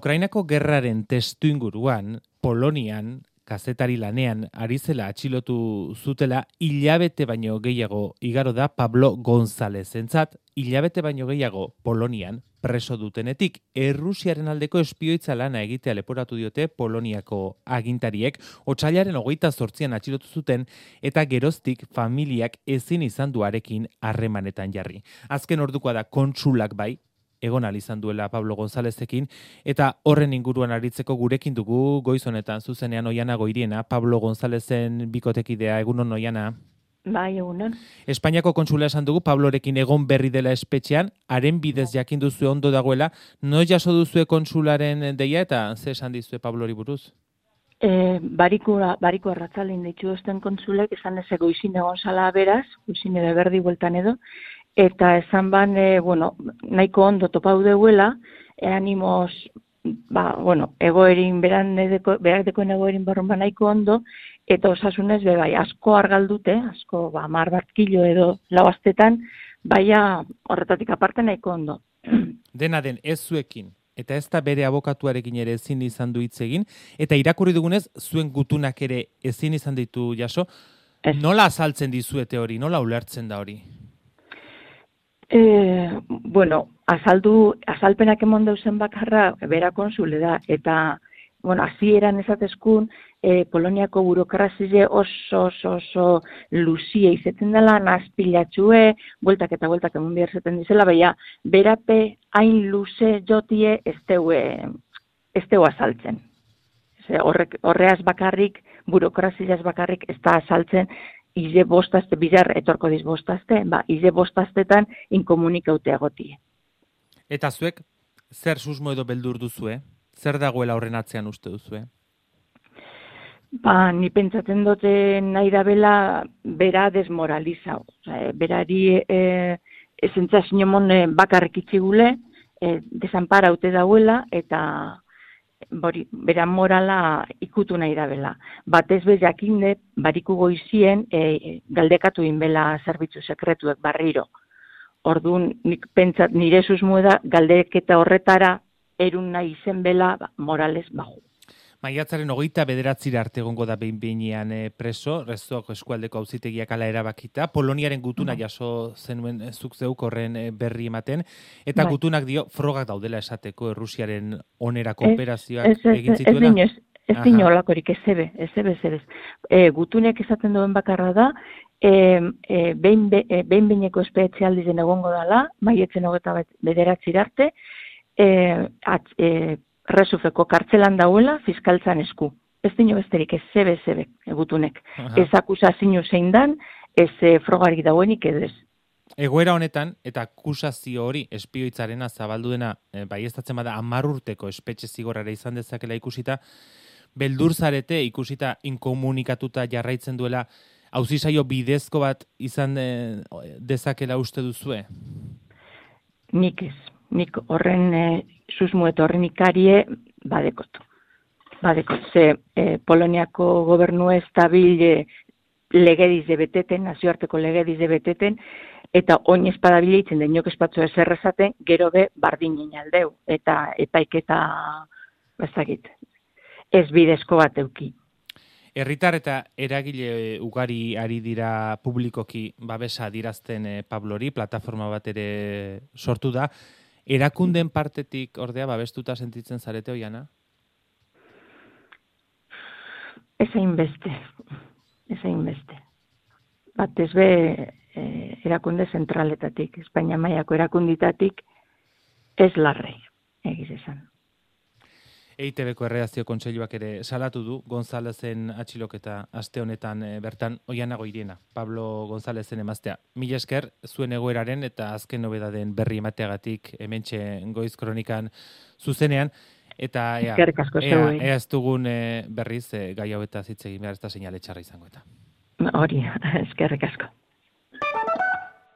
Ukrainako gerraren testuinguruan, Polonian, kazetari lanean ari zela atxilotu zutela, hilabete baino gehiago igaro da Pablo Gonzalezentzat, hilabete baino gehiago Polonian preso dutenetik. Errusiaren aldeko espioitza lana egitea leporatu diote Poloniako agintariek, otsailaren 28an atxilotu zuten eta geroztik familiak ezin izan duarekin harremanetan jarri. Azken ordukoa da kontsulak bai, egon izan duela Pablo Gonzalezekin, eta horren inguruan aritzeko gurekin dugu goiz honetan zuzenean Oiana Goiriena, Pablo Gonzalezen bikotekidea. Egunon, Oiana? Bai, egunon. Espainiako kontsula esan dugu Pablorekin egon berri dela espetxean, haren bidez jakin duzue ondo dagoela, no jaso duzue konsularen deia eta ze esan dizue Pablori buruz? Bariko arratzalin ditu esten kontsulek, esan ez goizin egon zala beraz, goizin edo berdi bueltan edo, eta esan ban, nahiko ondo topau deuela, animoz, egoerin, berak dekoen egoerin barrun ba nahiko ondo, eta osasunez bai, asko argaldute, asko 10 bat kilo edo lau astetan, baina horretatik aparte nahiko ondo. Dena den, ez zuekin, eta ez da bere abokatuarekin ere ezin izan du hitz egin, eta irakurri dugunez, zuen gutunak ere ezin izan ditu jaso, nola azaltzen dizuete hori, nola ulertzen da hori? Azalpenak emon dauzen bakarra bera konsule da, eta, hasieran esatezkun, Poloniako burokrazile oso luzie izetzen dela, nazpilatxue, bueltak eta bueltak emon behar zeten dizela, baina berape hain luze jotie ez teu azaltzen. Horreaz bakarrik, burokrazileaz bakarrik ez da azaltzen, ize bostazte, bizar etorko diz bostazte, ize bostaztetan inkomunikaute agotie. Eta zuek, zer susmo edo beldur duzue? Zer dagoela horren atzean uste duzue? Ni pentsatzen dute nahi da bela bera desmoralizau. Berari esentza sinomon bakarrik itxigule, desanparaute dauela, eta bera morala ikutu nahi da bela. Batez bez jakinde, bariku goizien galdekatu inbela zerbitzu sekretuek barriro. Orduan, nik pentsat nire susmue da galdeketa horretara erun nahi izen bela morales baju. Maiatzaren 29 arte egongo da behin-behinean preso, Rezuako eskualdeko auzitegiak hala erabakita, Poloniaren gutuna jaso zenuen zuk zeuk horren berri ematen, eta gutunak dio frogak daudela esateko Errusiaren onerako operazioak egin zituela? Ez dino olakorik, ez. Gutunek esaten duen bakarra da, behin-behineko espetxe aldizen egongo dela, maiatzen 29 arte, Resufeko kartzelan dauela fiskaltzan esku. Ez dino besterik, ez zebe, gutunek. Ez akusazio zein dan, ez frogarik dauenik edo ez. Egoera honetan, eta akusazio hori espioitzarena zabaldu dena, baieztatzen bada 10 urteko espetxe zigorrara izan dezakela ikusita, beldur zarete ikusita inkomunikatuta jarraitzen duela, auzisaio bidezko bat izan dezakela uste duzue? Nik ez. Nik horren susmu eta horren ikarie badekot. Ze Poloniako gobernu estabil legediz de beteten, nazioarteko legediz de beteten, eta oin espadabile itzen den jok espatzu eserrezaten, gero be bardinen aldeu, eta epaiketa ez bidezko bat euki. Herritar eta eragile ugari ari dira publikoki babesa adirazten Pablori, plataforma bat ere sortu da. Erakunden partetik ordea babestuta sentitzen zarete, Oiana? Ez hainbeste. Batez be erakunde zentraletatik, Espainia mailako erakunditatik ez larrei, egiz esan. EITB-ko erredakzio kontseiluak ere salatu du Gonzalezen atxiloketa aste honetan bertan. Oiana Goiriena, Pablo Gonzalezen emaztea. Mila esker zuen egoeraren eta azken nobedaden berri emateagatik hementxe Goiz Kronikan zuzenean. Eta ea ez dugun berriz gai hauetaz hitz egin behar, ez da seinale txarra izango eta. Hori, eskerrik asko.